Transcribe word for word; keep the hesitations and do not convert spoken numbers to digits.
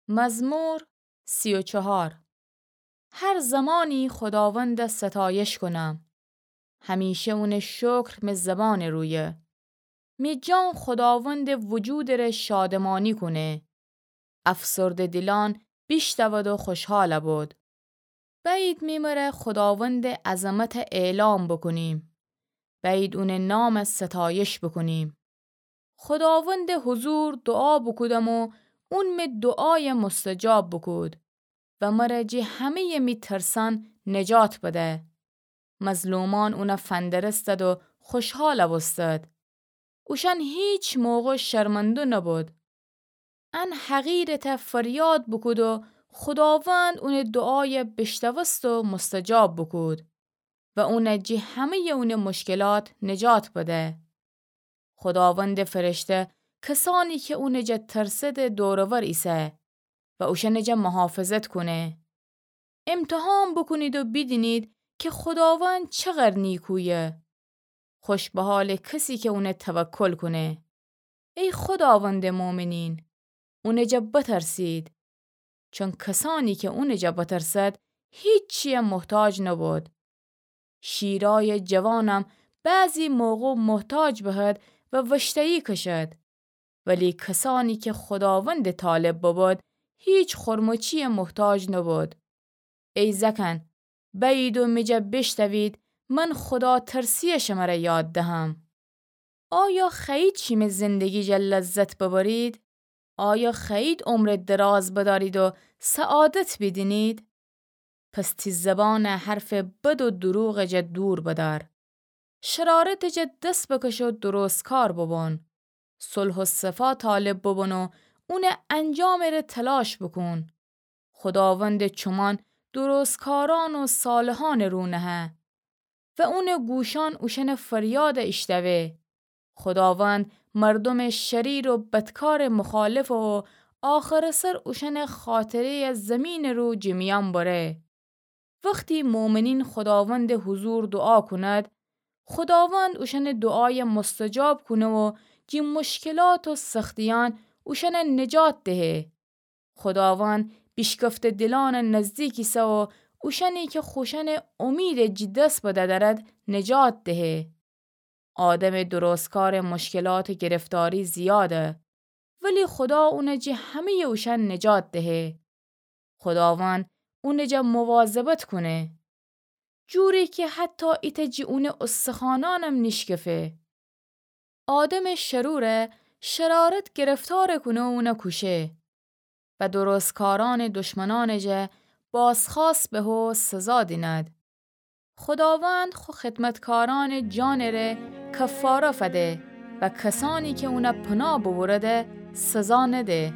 مزمور سی و چهار. هر زمانی خوداوند ستایش کنم، همیشه اونٚ شکر مه زبانٚ رویه. می جان خوداوندٚ وجودٚ ره شادمانی کونه. افسرده دیلان بیشتود و خوشحال بود. بأیید می مره خوداوندٚ عظمت اعلام بوکونیم. بأیید اونٚ نام ستایش بوکونیم. خوداوندٚ حضور دعا بوکودم و اون می دعای مستجاب بوکود و مره جی همه‌یٚ می ترسان نجات بده. مظلومان اونه فندرستد و خوشحال بوستد. اوشان هیچ موقع شرمنده نبود. ان حقیرٚ ته فریاد بوکود و خوداوند اونٚ دعای بیشتوست و مستجاب بوکود و اونه جی همه‌یٚ اونٚ مشکلات نجات بده. خوداوندٚ فرشته کسانی که اونٚ جا ترسده دور و ور ایسه و اوشأنٚ جا محافظت کونه. امتحان بوکونید و بیدینید که خوداوند چقدر نیکویه. خوش به حالٚ کسی که اونه توکل کونه. ای خوداوندٚ مؤمنین، اونٚ جا بترسید. چون کسانی که اونٚ جا بترسد، هیچی‌یه محتاج نبود. شیرای جوانم بعضی موقع محتاج بهد و وشتایی کشد. ولی کسانی که خوداوندٚ طالب ببد، هیچ خورمچی‌یه محتاج نبود. ای زأکأن، بأیید و می جا بیشتوید، من خوداترسی‌یه شمره یاد دهم. آیا خوأیید شیمه زندگی جا لذت ببرید؟ آیا خوأیید عمرٚ دراز بدأرید و سعادت بیدینید؟ پس تی زبانٚ حرفٚ بد و دروغٚ جا دور بدأر. شرارتٚ جا دس بکش و درستکار ببون. صلح و صفا طالب ببون و اونٚ انجامٚ ره تلاش بوکون. خوداوندٚ چومان درستکارأن و صالحأنٚ رو نهه و اونٚ گوشأن اوشأنٚ فریاد ایشتوه. خوداوند مردومٚ شریر و بدکارٚ مخالفه و آخرٚ سر اوشأنٚ خاطره‌یه زیمینٚ رو جٚه میأن بره. وختی مؤمنین خوداوندٚ حضور دوعا کونید، خوداوند اوشأنٚ دوعایه مستجاب کونه و جٚه مشکلات و سختیأن اوشأنه نجات دهه. خوداوند بیشکفته دیلأنٚ نزدیک ایسه و اوشأنی کی خوشأنٚ اومیدٚ جٚه دس بدأ دأرد نجات دهه. آدمٚ درستکارٚ مشکلاتٚ گرفتاری زیاده، ولی خودا اونه جٚه همه‌یٚ اوشأن نجات دهه. خوداوند اونٚ جا مواظبت کونه، جوری کی حتی ایتأ جٚه اونٚ استخوانأنم نیشکفه. آدمٚ شروره شرارت گرفتار کونه و اونه کوشه و درستکارأنٚ دشمنأنٚ جا بازخوأست به و سزا دینید. خوداوند خو خدمتکارأنٚ جانٚ ره کفاره فده و کسأنی کی اونه پناه ببرده سزا نده.